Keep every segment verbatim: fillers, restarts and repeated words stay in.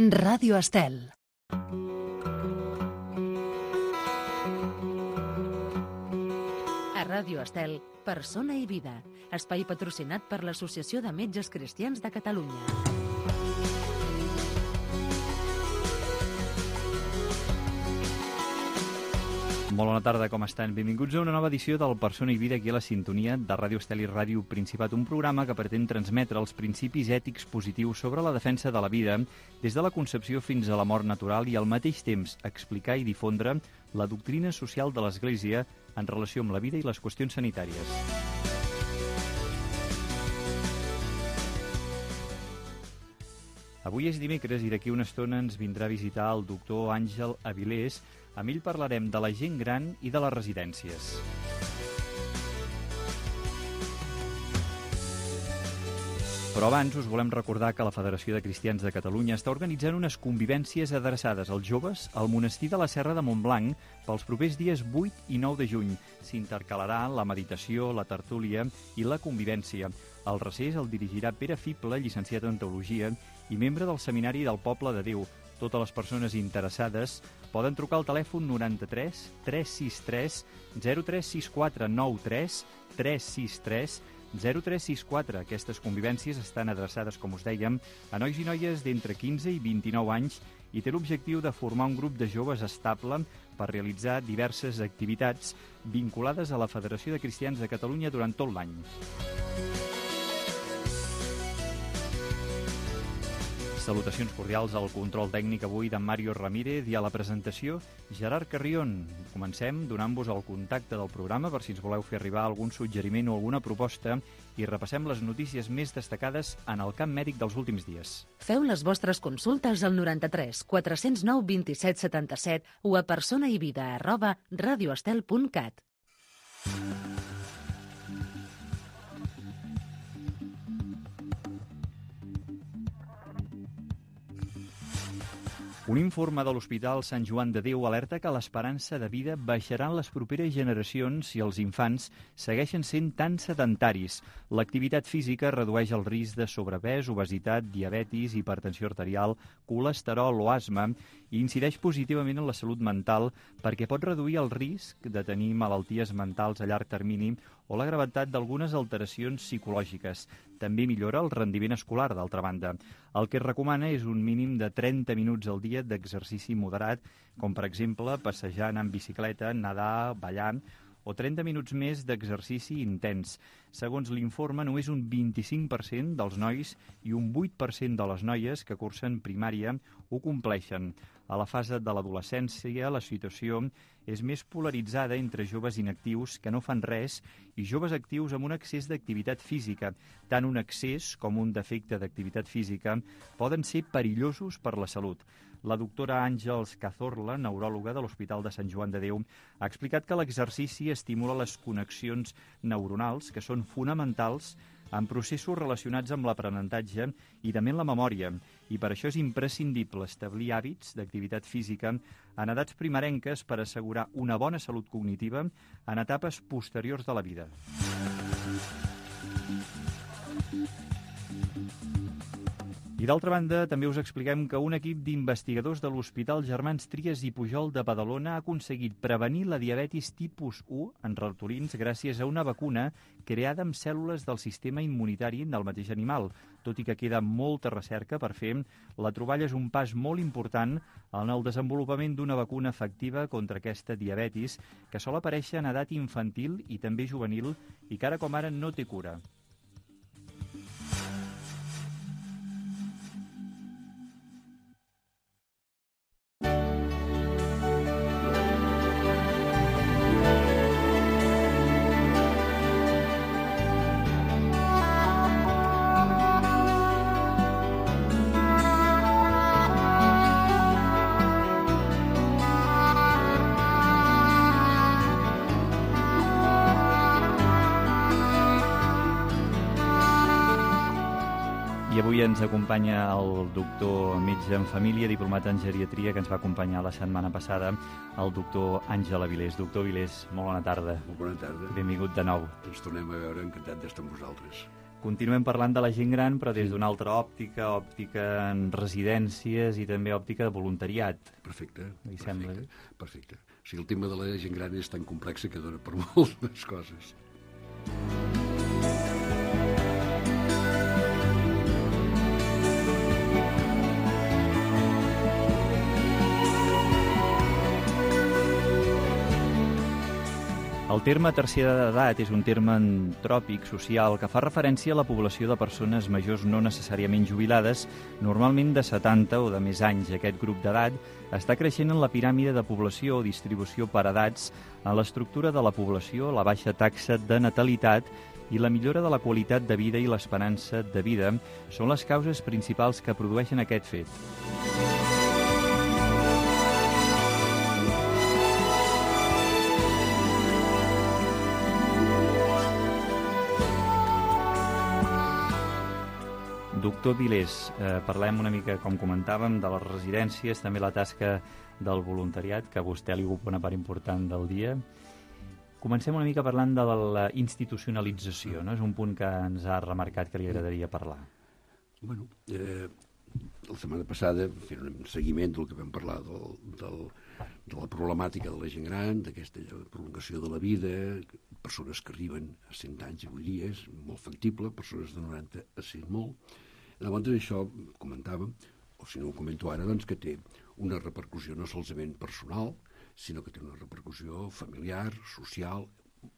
Ràdio Estel. A Ràdio Estel, Persona i Vida, espai patrocinat per l'Associació de Metges Cristians de Catalunya. Molt bona tarda, com estan? Benvinguts a una nova edició del Persona i Vida aquí a la sintonia de Ràdio Estel i Ràdio Principat, un programa que pretén transmetre els principis ètics positius sobre la defensa de la vida des de la concepció fins a la mort natural i al mateix temps explicar i difondre la doctrina social de l'Església en relació amb la vida i les qüestions sanitàries. Avui és dimecres i d'aquí una estona ens vindrà a visitar el doctor Àngel Avilés. Amb ell parlarem de la gent gran i de les residències. Però abans us volem recordar que la Federació de Cristians de Catalunya està organitzant unes convivències adreçades als joves al monestir de la Serra de Montblanc pels propers dies vuit i nou de juny. S'intercalarà la meditació, la tertúlia i la convivència. El recés el dirigirà Pere Fible, llicenciat en Teologia i membre del Seminari del Poble de Déu. Totes les persones interessades poden trucar al telèfon noranta-tres tres sis tres zero tres sis quatre nou tres tres sis tres zero tres sis quatre. Aquestes convivències estan adreçades, com us dèiem, a nois i noies d'entre quinze i vint-i-nou anys i té l'objectiu de formar un grup de joves estable per realitzar diverses activitats vinculades a la Federació de Cristians de Catalunya durant tot l'any. Salutacions cordials al control tècnic avui d'en Mario Ramírez i a la presentació Gerard Carrion. Comencem donant-vos el contacte del programa per si ens voleu fer arribar algun suggeriment o alguna proposta i repassem les notícies més destacades en el camp mèdic dels últims dies. Feu les vostres consultes al noranta-tres quatre zero nou vint-i-set setanta-set o a personaivida arroba radioestel punt cat. Un informe de l'Hospital Sant Joan de Déu alerta que l'esperança de vida baixarà en les properes generacions si els infants segueixen sent tan sedentaris. L'activitat física redueix el risc de sobrepès, obesitat, diabetis, hipertensió arterial, colesterol o asma i incideix positivament en la salut mental perquè pot reduir el risc de tenir malalties mentals a llarg termini o la gravetat d'algunes alteracions psicològiques. També millora el rendiment escolar, d'altra banda. El que es recomana és un mínim de trenta minuts al dia d'exercici moderat, com per exemple passejant en bicicleta, nedar, ballant, o trenta minuts més d'exercici intens. Segons l'informe, només un vint-i-cinc per cent dels nois i un vuit per cent de les noies que cursen primària ho compleixen. A la fase de l'adolescència, la situació és més polaritzada entre joves inactius que no fan res i joves actius amb un excés d'activitat física. Tant un excés com un defecte d'activitat física poden ser perillosos per la salut. La doctora Àngels Cazorla, neuròloga de l'Hospital de Sant Joan de Déu, ha explicat que l'exercici estimula les connexions neuronals, que són fonamentals en processos relacionats amb l'aprenentatge i també en la memòria. I per això és imprescindible establir hàbits d'activitat física en edats primerenques per assegurar una bona salut cognitiva en etapes posteriors de la vida. I d'altra banda, també us expliquem que un equip d'investigadors de l'Hospital Germans Trias i Pujol de Badalona ha aconseguit prevenir la diabetis tipus u en ratolins gràcies a una vacuna creada amb cèl·lules del sistema immunitari del mateix animal. Tot i que queda molta recerca per fer, la troballa és un pas molt important en el desenvolupament d'una vacuna efectiva contra aquesta diabetis que sol aparèixer en edat infantil i també juvenil i que ara com ara no té cura. I avui ens acompanya el doctor metge en família, diplomat en geriatria, que ens va acompanyar la setmana passada, el doctor Àngel Avilés. Doctor Avilés, molt bona tarda. Molt bona tarda. Benvingut de nou. Ens tornem a veure, encantat d'estar amb vosaltres. Continuem parlant de la gent gran, però des d'una altra òptica, òptica en residències i també òptica de voluntariat. Perfecte, Li perfecte, sembla? perfecte. O sigui, el tema de la gent gran és tan complex que dona per moltes coses. El terme tercera d'edat és un terme antròpic social que fa referència a la població de persones majors no necessàriament jubilades, normalment de setanta o de més anys. Aquest grup d'edat està creixent en la piràmide de població o distribució per edats, en l'estructura de la població, la baixa taxa de natalitat i la millora de la qualitat de vida i l'esperança de vida són les causes principals que produeixen aquest fet. Doctor Vilés, eh, parlem una mica, com comentàvem, de les residències, també la tasca del voluntariat, que a vostè li ocupa una part important del dia. Comencem una mica parlant de la institucionalització, no? És un punt que ens ha remarcat que li agradaria parlar. Bueno, eh, la setmana passada fent un seguiment del que vam parlar del, del, de la problemàtica de la gent gran, d'aquesta prolongació de la vida, persones que arriben a cent anys avui dia, és molt factible, persones de noranta a cent molt. Llavors això comentàvem, o si no ho comento ara, doncs que té una repercussió no solament personal, sinó que té una repercussió familiar, social,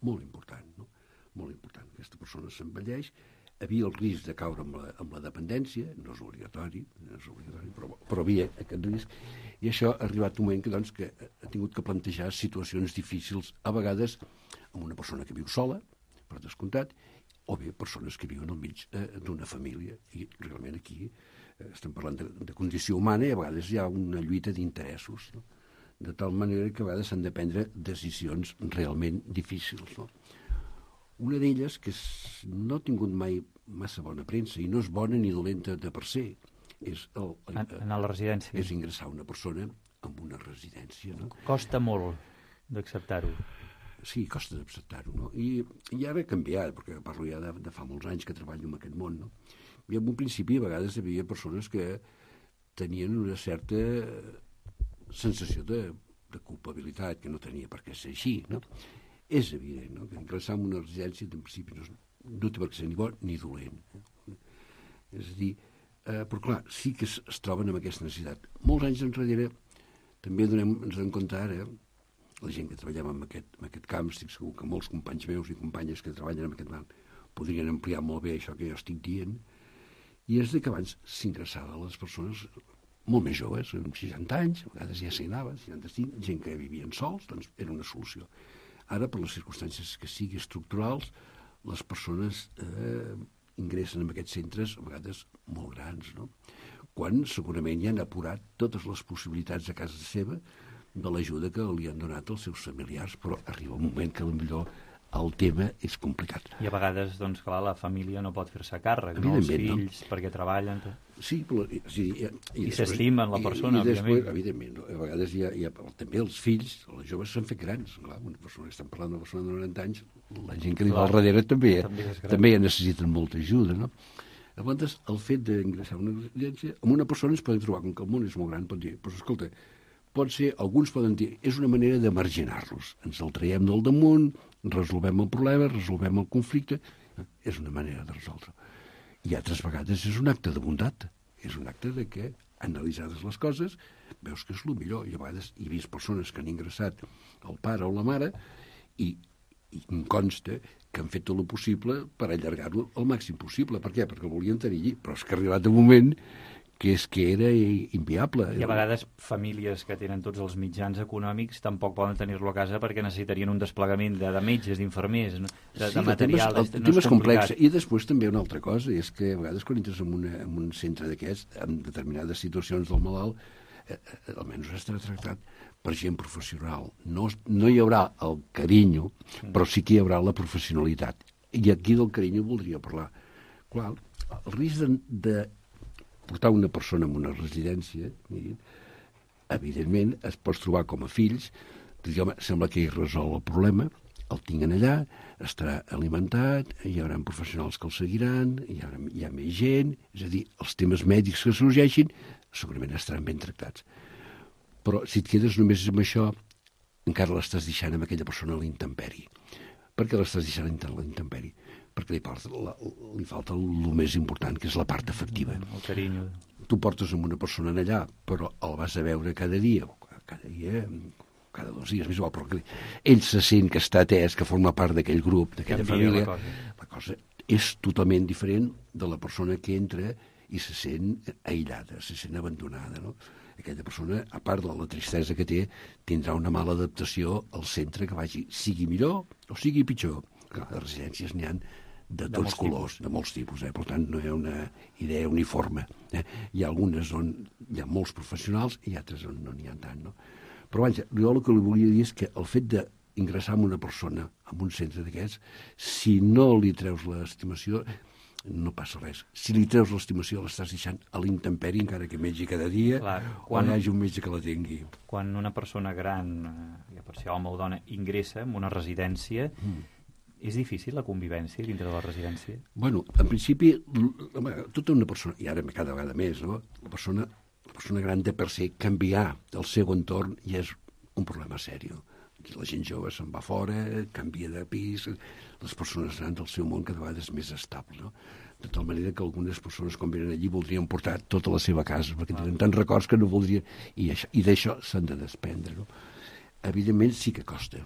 molt important, no? Molt important. Aquesta persona s'envelleix, havia el risc de caure amb la, amb la dependència, no és obligatori, no és obligatori però, però havia aquest risc, i això ha arribat un moment que, doncs, que ha tingut que plantejar situacions difícils, a vegades amb una persona que viu sola, per descomptat, o bé persones que viuen al mig eh, d'una família. I realment aquí eh, estem parlant de, de condició humana i a vegades hi ha una lluita d'interessos, no? De tal manera que a vegades s'han de prendre decisions realment difícils, no? Una d'elles, que no ha tingut mai massa bona premsa i no és bona ni dolenta de per se, és el, el, En a la residència. és ingressar una persona en una residència, no? Costa molt d'acceptar-ho. Sí, costa d'acceptar-ho, no? I, I ara ha canviat, perquè parlo ja de, de fa molts anys que treballo en aquest món, no? I en un principi a vegades hi havia persones que tenien una certa sensació de, de culpabilitat, que no tenia per què ser així, no? És evident, no?, que ingressar en una residència en principi no, no té per què ser ni bo ni dolent. És a dir, eh, però clar, sí que es, es troben amb aquesta necessitat. Molts anys enrere també donem, ens donem compte ara, la gent que treballem en aquest, en aquest camp, estic segur que molts companys meus i companyes que treballen en aquest camp podrien ampliar molt bé això que jo estic dient, i és de que abans s'ingressava les persones molt més joves, amb seixanta anys, a vegades ja s'hi anava, seixanta-cinc, gent que vivien sols, doncs era una solució. Ara, per les circumstàncies que siguin estructurals, les persones eh, ingressen en aquests centres a vegades molt grans, no? Quan segurament ja han apurat totes les possibilitats a casa seva de l'ajuda que li han donat els seus familiars, però arriba un moment que potser el tema és complicat. I a vegades, doncs, clar, la família no pot fer-se càrrec, no? Els fills, no? Perquè treballen... Sí, però... Sí, i, I, I s'estimen la persona, i, i després, òbviament. Evidentment, no? A vegades hi ha, hi ha, també els fills, els joves s'han fet grans, clar, una persona que estan parlant d'una persona de noranta anys, la gent que li va al darrere també, també, també ja necessiten molta ajuda, no? Llavors, el fet d'ingressar en una residència, amb una persona ens podem trobar, com que el món és molt gran, pot dir, però escolta, pot ser, alguns poden dir, és una manera de marginar-los, ens el traiem del damunt, resolvem el problema, resolvem el conflicte, és una manera de resoldre. I altres vegades és un acte de bondat, és un acte de que, analitzades les coses, veus que és el millor. I a vegades he vist persones que han ingressat el pare o la mare i, i em consta que han fet tot el possible per allargar-lo el màxim possible. Per què? Perquè el volien tenir allí. Però és que ha arribat un moment que és que era inviable. I a vegades famílies que tenen tots els mitjans econòmics tampoc poden tenir-lo a casa perquè necessitarien un desplegament de, de metges, d'infermers, no? de, sí, de material. El tema és, no és complex. I després també una altra cosa, és que a vegades quan entres en, una, en un centre d'aquests, en determinades situacions del malalt, eh, eh, almenys estarà tractat per gent professional. No, no hi haurà el carinyo, però sí que hi haurà la professionalitat. I aquí del carinyo voldria parlar. Clar, el risc de, de portar una persona en una residència, evidentment, es pots trobar com a fills, dir, home, sembla que hi resol el problema, el tinguen allà, estarà alimentat, hi haurà professionals que el seguiran, hi ha, hi ha més gent, és a dir, els temes mèdics que sorgeixin segurament estaran ben tractats. Però si et quedes només amb això, encara l'estàs deixant amb aquella persona a l'intemperi. Per què l'estàs deixant a l'intemperi? Perquè li, falta, la, li falta el més important, que és la part afectiva. El carinyo. Tu portes amb una persona allà, però el vas a veure cada dia, cada dia, cada dos dies, més igual, però ell se sent que està atès, que forma part d'aquell grup, d'aquella família. La cosa. la cosa és totalment diferent de la persona que entra i se sent aïllada, se sent abandonada, no? Aquella persona, a part de la tristesa que té, tindrà una mala adaptació al centre que vagi, sigui millor o sigui pitjor. Clar, les residències n'hi ha de tots de colors, tipus. de molts tipus, eh? Per tant, no hi ha una idea uniforme. Eh? Hi ha algunes on hi ha molts professionals i altres on no n'hi ha tant, no? Però vaja, jo el que li volia dir és que el fet d'ingressar en una persona en un centre d'aquests, si no li treus l'estimació, no passa res. Si li treus l'estimació, l'estàs deixant a l'intemperi, encara que mengi cada dia, clar, quan, o hi hagi un metge que la tingui. Quan una persona gran, ja per ser home o dona, ingressa en una residència, mm. és difícil la convivència dintre de la residència? Bueno, en principi, tota una persona, i ara cada vegada més, no? La persona, la persona gran de per se canviar el seu entorn ja és un problema sèrio. La gent jove se'n va fora, canvia de pis, les persones grans del seu món cada vegada és més estable, no? De tal manera que algunes persones, quan venen allí, voldrien portar tota la seva casa, perquè tenen tants records que no voldrien... I, això, i d'això s'han de desprendre, no? Evidentment sí que costa,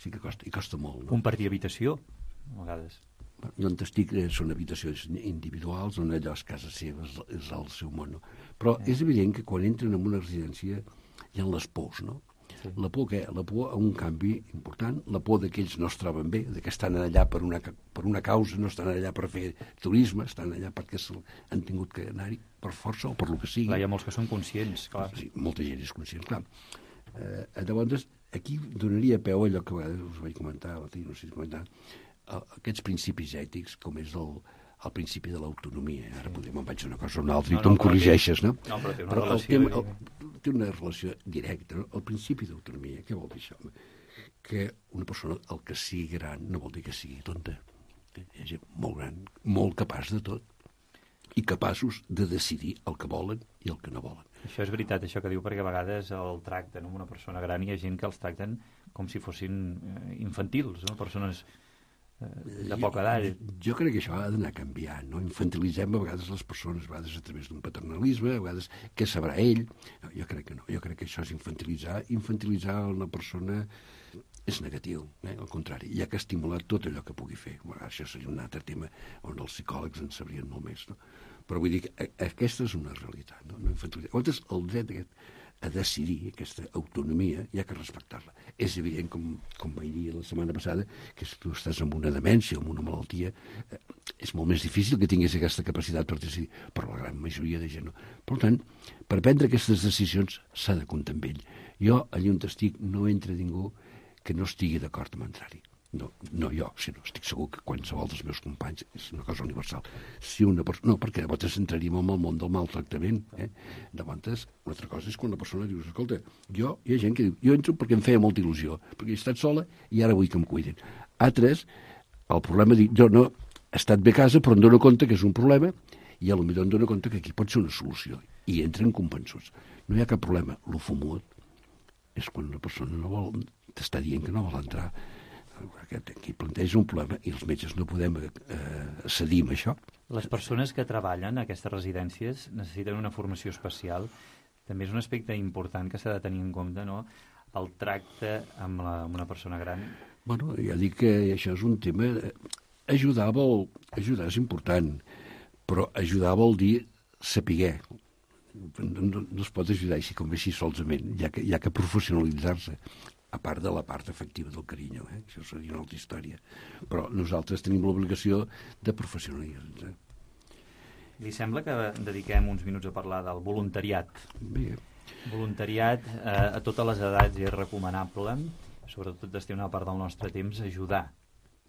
sí que costa, i costa molt, no? Compartir habitació, a vegades. Jo on estic són habitacions individuals, on allò és casa seva, és, és el seu món, no? Però eh. és evident que quan entren en una residència hi ha les pors, no? La por què? La por a un canvi important, la por de que ells no es troben bé, de que estan allà per una, per una causa, no estan allà per fer turisme, estan allà perquè han tingut que anar-hi per força o per lo que sigui. Clar, hi ha molts que són conscients, clar. Sí, molta gent és conscient, clar. Eh, llavors, aquí donaria peu a allò que a vegades us vaig comentar, o no sé si comentar, aquests principis ètics, com és el, el principi de l'autonomia. Ara podem, em vaig una cosa o una altra, no, i tu no, em corregeixes, no? No, però té una però relació... El tema, el, té una relació directa, no? El principi d'autonomia, què vol dir això? Que una persona, el que sigui gran, no vol dir que sigui tonta. És molt gran, molt capaç de tot, i capaços de decidir el que volen i el que no volen. Això és veritat, això que diu, perquè a vegades el tracten amb una persona gran i hi ha gent que els tracten com si fossin infantils, no? Persones de poca edat. Jo, jo crec que això ha d'anar canviant, no? Infantilitzem a vegades les persones, a vegades a través d'un paternalisme, a vegades què sabrà ell. No, jo crec que no, jo crec que això és infantilitzar. Infantilitzar una persona és negatiu, eh? Al contrari, hi ha que estimular tot allò que pugui fer. Bueno, això seria un altre tema on els psicòlegs en sabrien molt més, no? Però vull dir que aquesta és una realitat, no? No infantilitzar. Llavors, el dret aquest a decidir, aquesta autonomia, hi ha que respectar-la. És evident, com, com vaig dir la setmana passada, que si tu estàs amb una demència o amb una malaltia, eh, és molt més difícil que tinguis aquesta capacitat per decidir, però la gran majoria de gent no. Per tant, per prendre aquestes decisions s'ha de comptar amb ell. Jo, allà on estic, no entra ningú que no estigui d'acord amb entrar-hi. No, no jo, sinó estic segur que qualsevol dels meus companys és una cosa universal. Si una persona... No, perquè llavors entraríem en el món del maltractament. Eh? Llavors, una altra cosa és quan la persona diu, escolta, jo, hi ha gent que diu, jo entro perquè em feia molta il·lusió, perquè he estat sola i ara vull que em cuiden. Altres, el problema, dic, jo no he estat bé a casa, però em dono compte que és un problema i a lo millor em dono compte que aquí pot ser una solució. I entren convençuts. No hi ha cap problema. Lo fumut és quan una persona no vol, t'està dient que no vol entrar. Aquí planteja un problema i els metges no podem eh, cedir amb això. Les persones que treballen a aquestes residències necessiten una formació especial. També és un aspecte important que s'ha de tenir en compte, no? El tracte amb, la, amb una persona gran. Bueno, ja dic que això és un tema... Ajudar vol... Ajudar és important, però ajudar vol dir saber. No, no, no es pot ajudar així com així solament, hi ha que, hi ha que professionalitzar-se, a part de la part efectiva del carinyo, eh? Això seria una altra història. Però nosaltres tenim l'obligació de professionalitzar. Li sembla que dediquem uns minuts a parlar del voluntariat? Bé. Voluntariat eh, a totes les edats és recomanable, sobretot destinar una part del nostre temps a ajudar,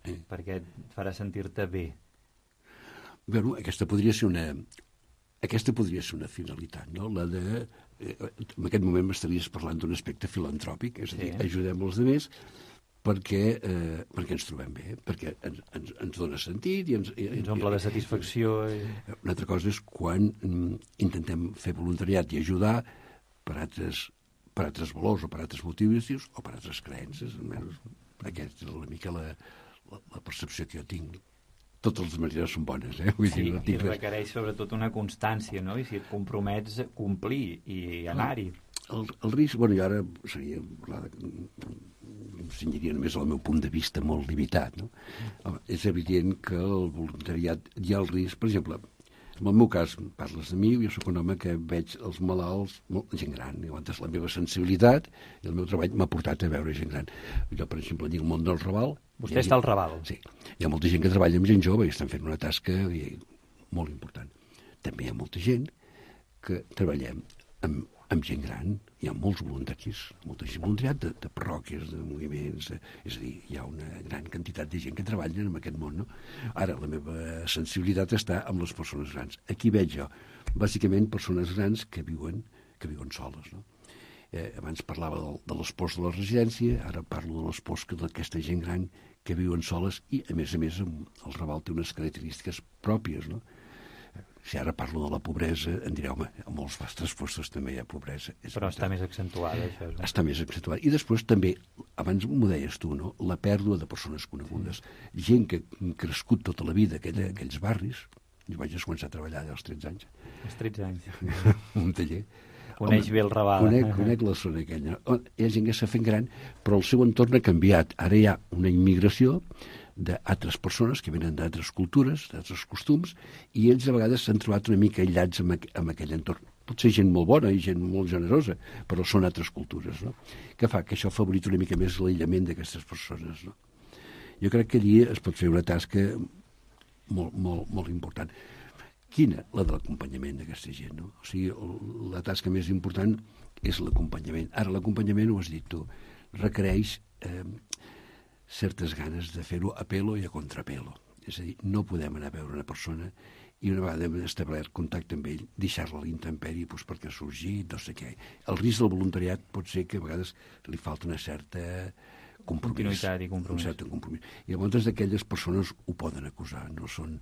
eh. perquè et farà sentir-te bé. Bueno, aquesta podria ser una... Aquesta podria ser una finalitat, no? La de... Eh, en aquest moment m'estaries parlant d'un aspecte filantròpic, és a dir, sí. Ajudem els altres, perquè, eh, perquè ens trobem bé, perquè ens, ens, ens dona sentit i ens, i, ens omple de satisfacció. I... Una altra cosa és quan mm, intentem fer voluntariat i ajudar per altres, per altres valors o per altres motius o per altres creences. Almenys aquesta és una mica la, la, la percepció que jo tinc. Totes les maneres són bones, eh? Vull sí, dir, no i requereix sobretot una constància, no? I si et compromets a complir i anar-hi. El, el risc, bueno, i ara seria parlar de, em cenyiria només al meu punt de vista molt limitat, no? Home, és evident que el voluntariat hi ha el risc, per exemple, en el meu cas, parles de mi, jo sóc un home que veig els malalts, molt, gent gran, i llavors la meva sensibilitat i el meu treball m'ha portat a veure gent gran. Jo, per exemple, dic el món del Raval. Vostè està al Raval. Sí. Hi ha molta gent que treballa amb gent jove i estan fent una tasca i, molt important. També hi ha molta gent que treballem amb, amb gent gran. Hi ha molts voluntaris, molta gent voluntariat de, de parròquies, de moviments, de, és a dir, hi ha una gran quantitat de gent que treballa en aquest món, no? Ara, la meva sensibilitat està amb les persones grans. Aquí veig jo, bàsicament, persones grans que viuen, que viuen soles, no? Eh, abans parlava de, de les pors de la residència, ara parlo de les pors d'aquesta gent gran que viuen soles i, a més a més, el Raval té unes característiques pròpies, no? Si ara parlo de la pobresa, em direu, home, a molts vostres postos també hi ha pobresa. És Però veritat. Està més accentuada, això. És... Està més accentuada. I després també, abans m'ho deies tu, no? La pèrdua de persones conegudes. Sí. Gent que ha crescut tota la vida aquella, aquells barris. Jo vaig començar a treballar allà als tretze anys. Als tretze anys. Un taller. Coneix bé el Raval. Conec, conec la zona aquella. Hi ha gent que s'ha fet gran, però el seu entorn ha canviat. Ara hi ha una immigració d'altres persones que venen d'altres cultures, d'altres costums, i ells a vegades s'han trobat una mica aïllats amb, aqu amb aquell entorn. Pot ser gent molt bona i gent molt generosa, però són altres cultures, no? Que fa que això favorit una mica més l'aïllament d'aquestes persones, no? Jo crec que allí es pot fer una tasca molt, molt, molt important. Quina? La de l'acompanyament d'aquesta gent, no? O sigui, la tasca més important és l'acompanyament. Ara, l'acompanyament, ho has dit tu, requereix eh, certes ganes de fer-ho a pelo i a contrapelo. És a dir, no podem anar a veure una persona i una vegada hem establert contacte amb ell, deixar-la a l'intempèrie doncs, perquè ha sorgit, no sé què. El risc del voluntariat pot ser que a vegades li falta una certa compromís. Continuïtat i compromís. Un cert compromís. I llavors aquelles persones ho poden acusar, no són...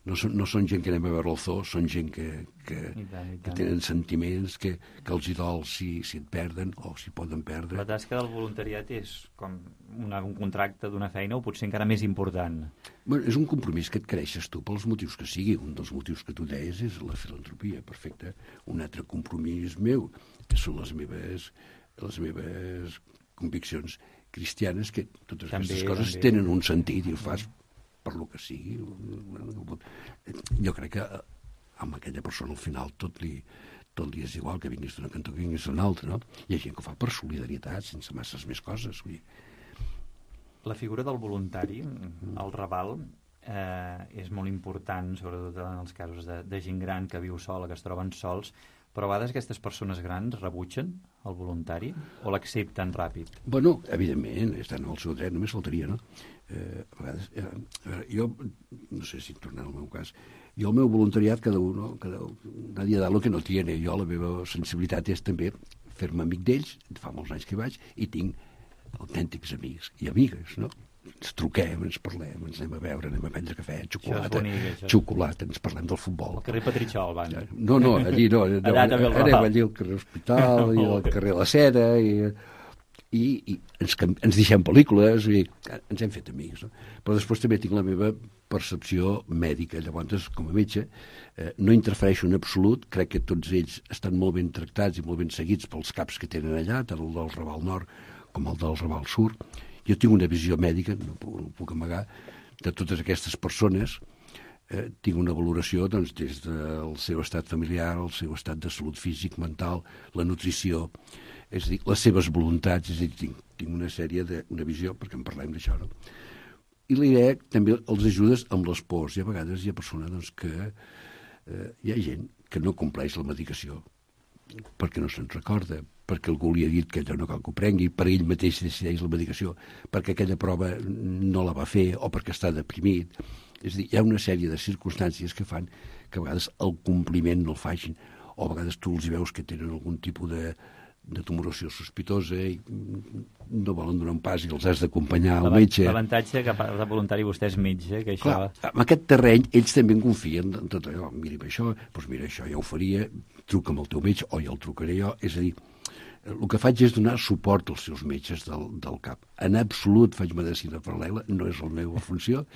No són, no són gent que anem a veure el zoo, són gent que, que, I tant, i tant. que tenen sentiments, que, que els hi dol si, si et perden o si poden perdre. La tasca del voluntariat és com una, un contracte d'una feina o potser encara més important? Bueno, és un compromís que et creixes tu pels motius que sigui. Un dels motius que tu deies és la filantropia, perfecte. Un altre compromís meu són les meves, les meves conviccions cristianes, que totes també, aquestes coses també. Tenen un sentit i ho fas per lo que sigui. Jo crec que amb aquella persona al final tot li, tot li és igual, que vinguis d'una cantó que vinguis d'una altra, no? Hi ha gent que ho fa per solidaritat, sense masses més coses. Vull dir. La figura del voluntari, el Raval, eh, és molt important, sobretot en els casos de, de gent gran que viu sola, que es troben sols, però a vegades aquestes persones grans rebutgen el voluntari o l'accepten ràpid? Bueno, evidentment, estan al seu dret, només faltaria, no? Eh, a vegades, eh, a veure, jo, no sé si tornar al meu cas, jo el meu voluntariat, cada un, no? Cada, nadie da lo que no tiene. Jo la meva sensibilitat és també fer-me amic d'ells, fa molts anys que vaig, i tinc autèntics amics i amigues, no? Ens truquem, ens parlem, ens anem a veure, anem a prendre cafè, xocolata, bonic, xocolata, ens parlem del futbol. Al carrer Petritxol, van. No, no, allí no. no Allà també el anem allí al carrer Hospital i al carrer La Cera i, i, i ens, ens deixem pel·lícules i ens hem fet amics. No? Però després també tinc la meva percepció mèdica. Llavors, com a metge, eh, no interfereixo en absolut. Crec que tots ells estan molt ben tractats i molt ben seguits pels caps que tenen allà, tant el del Raval Nord com el del Raval Sud. Jo tinc una visió mèdica, no puc, no puc amagar, de totes aquestes persones. Eh, tinc una valoració doncs, des del seu estat familiar, el seu estat de salut físic, mental, la nutrició, és a dir, les seves voluntats, és a dir, tinc, tinc una sèrie de, una visió, perquè en parlem d'això, no? I la idea també els ajudes amb les pors. I a vegades hi ha persones doncs, que eh, hi ha gent que no compleix la medicació perquè no se'n recorda, perquè algú li ha dit que allò no cal que ho prengui, per ell mateix decideix la medicació, perquè aquella prova no la va fer o perquè està deprimit. És a dir, hi ha una sèrie de circumstàncies que fan que a vegades el compliment no el facin, o a vegades tu els veus que tenen algun tipus de, de tumoració sospitosa i no volen donar un pas i els has d'acompanyar al L'ava- metge. L'avantatge que a part de voluntari vostè és metge, que això... Clar, en aquest terreny ells també en confien en tot allò. Mira això, doncs mira això, ja ho faria, truca amb el teu metge o ja el trucaré jo. És a dir, el que faig és donar suport als seus metges del, del cap. En absolut faig medicina paral·lela, no és la meva funció,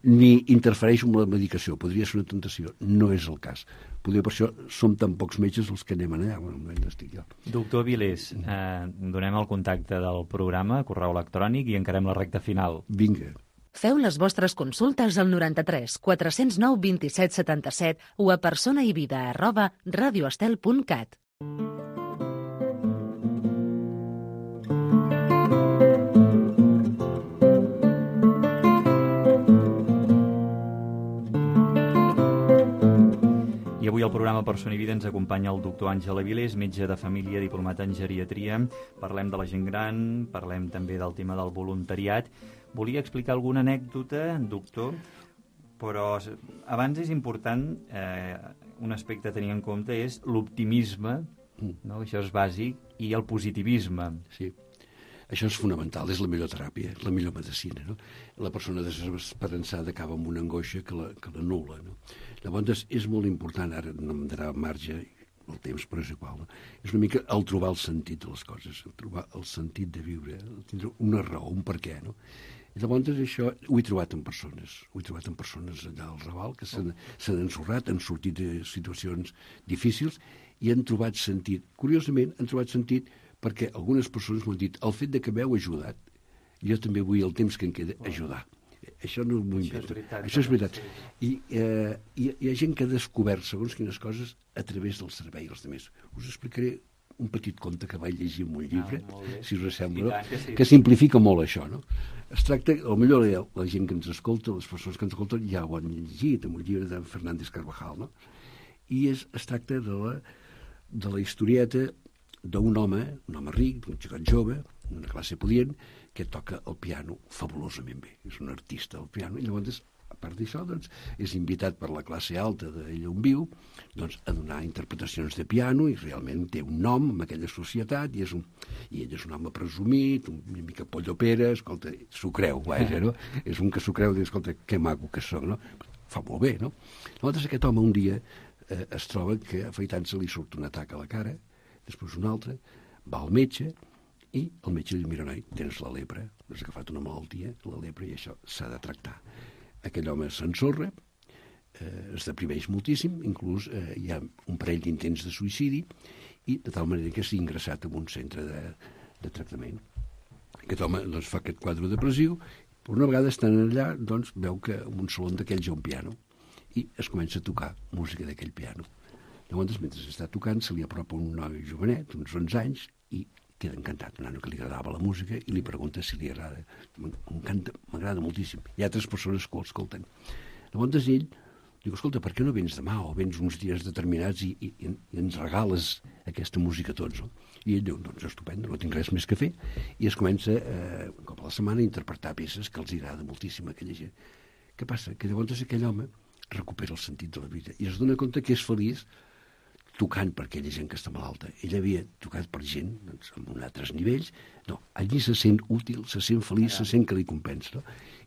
ni interfereixo amb la medicació. Podria ser una tentació, no és el cas. Potser per això som tan pocs metges els que anem allà, bueno, no estic jo. Doctor Vilés, eh, donem el contacte del programa, correu electrònic, i encarem la recta final. Vinga. Feu les vostres consultes al noranta-tres quatre cents nou vint-i-set setanta-set o a personaivida arroba radioestel punt cat. I avui al programa Persona i Vida ens acompanya el doctor Àngel Avilés, metge de família, diplomat en geriatria. Parlem de la gent gran, parlem també del tema del voluntariat. Volia explicar alguna anècdota, doctor, però abans és important, eh, un aspecte a tenir en compte és l'optimisme, no? Això és bàsic, i el positivisme. Sí. Això és fonamental, és la millor teràpia, la millor medicina, no? La persona desesperançada acaba amb una angoixa que la, que l'anul·la, no? Llavors, és molt important, ara no em darà marge el temps, però és igual, no? És una mica el trobar el sentit de les coses, el trobar el sentit de viure, tindre una raó, un per què, no? I llavors això ho he trobat en persones, ho he trobat en persones allà al Raval, que s'han, s'han ensorrat, han sortit de situacions difícils i han trobat sentit. Curiosament, han trobat sentit perquè algunes persones m'han dit el fet de que m'heu ajudat, jo també vull el temps que em queda ajudar. Això no m'ho invento. Això és veritat. I eh, hi, hi ha gent que ha descobert segons quines coses a través del servei als altres. Us explicaré un petit conte que vaig llegir en un llibre, ah, si us sembla, que, sí. que simplifica molt això, no? Es tracta, potser la, la gent que ens escolta, les persones que ens escolten, ja ho han llegit en un llibre de Fernández Carvajal, no? I és, es tracta de la, de la historieta d'un home, un home ric, un xicot jove, una classe podient, que toca el piano fabulosament bé. És un artista del piano. I llavors, a part d'això, doncs, és invitat per la classe alta d'allà on viu doncs, a donar interpretacions de piano i realment té un nom en aquella societat i, és un, i ell és un home presumit, una mica pollopera, escolta, s'ho creu, vaja, no? És un que s'ho creu, diu, escolta, que maco que soc, no? Fa molt bé, no? Llavors, aquest home un dia eh, es troba que afaitant-se li surt un atac a la cara, després un altre, va al metge i el metge li diu, mira, noi, tens la lepra, has agafat una malaltia, la lepra, i això s'ha de tractar. Aquell home s'ensorra, eh, es deprimeix moltíssim, inclús eh, hi ha un parell d'intents de suïcidi, i de tal manera que s'ha ingressat en un centre de, de tractament. Aquest home doncs, fa aquest quadre depressiu, però una vegada estant allà, doncs, veu que en un saló d'aquells hi ha un piano, i es comença a tocar música d'aquell piano. Llavors, mentre està tocant, se li apropa un noi jovenet, uns onze anys, i queda encantat, un nano que li agradava la música, i li pregunta si li agrada. M'encanta, m'agrada moltíssim. Hi ha altres persones que ho escolten. Llavors ell diu, escolta, per què no vens demà o vens uns dies determinats i, i, i ens regales aquesta música a tots? No? I ell diu, doncs estupendo, no tinc res més que fer. I es comença, eh, un cop a la setmana, a interpretar peces que els agrada moltíssim a aquella gent. Què passa? Que llavors aquell home recupera el sentit de la vida i es dona compte que és feliç tocant per aquella gent que està malalta. Ell havia tocat per gent doncs, amb altres nivells. No, allí se sent útil, se sent feliç, se sent que li compensa. No?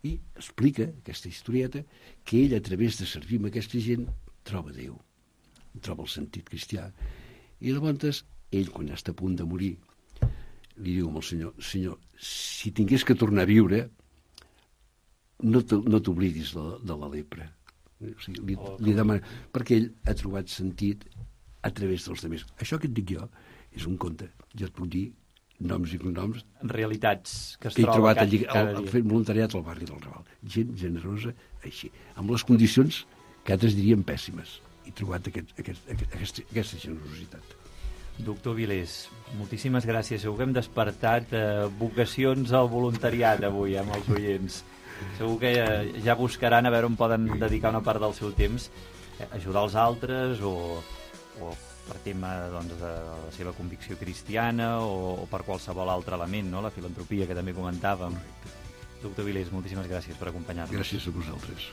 I explica, aquesta historieta, que ell, a través de servir amb aquesta gent, troba Déu, troba el sentit cristià. I llavors, ell, quan està a punt de morir, li diu al Senyor, Senyor, si tingués que tornar a viure, no t'oblidis de, de la lepra. O sigui, li, li demana, perquè ell ha trobat sentit a través dels altres. Això que et dic jo és un conte. Jo et puc dir noms i cognoms. Realitats que es que he troba trobat allí, cada al, dia. fent voluntariat al barri del Raval. Gent generosa, així. Amb les condicions que altres dirien pèssimes. He trobat aquest, aquest, aquest, aquesta, aquesta generositat. Doctor Vilés, moltíssimes gràcies. Segur que hem despertat eh, vocacions al voluntariat avui amb els oients. Segur que ja, ja buscaran a veure on poden dedicar una part del seu temps a ajudar els altres o, o per tema doncs, de la seva convicció cristiana o, o per qualsevol altre element, no? La filantropia que també comentàvem. Doctor Vilés, moltíssimes gràcies per acompanyar-nos. Gràcies a vosaltres.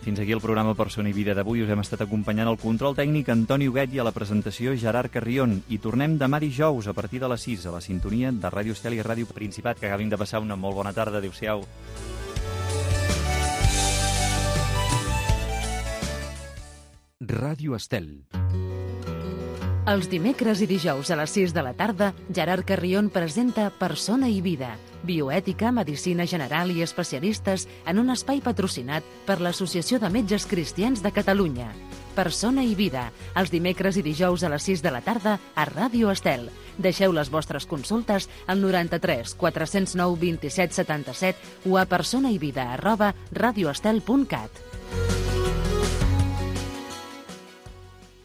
Fins aquí el programa Persona i Vida d'avui. Us hem estat acompanyant al control tècnic Antoni Huguet i a la presentació Gerard Carrion. I tornem demà dijous a partir de les sis a la sintonia de Ràdio Estel i Ràdio Principat. Que acabin de passar una molt bona tarda. Adéu-siau. Ràdio Estel. Els dimecres i dijous a les sis de la tarda, Gerard Carrion presenta Persona i Vida, bioètica, medicina general i especialistes en un espai patrocinat per l'Associació de Metges Cristians de Catalunya. Persona i Vida, els dimecres i dijous a les sis de la tarda a Ràdio Estel. Deixeu les vostres consultes al noranta-tres quatre cents nou vint-i-set setanta-set o a personaivida arroba radioestel punt cat.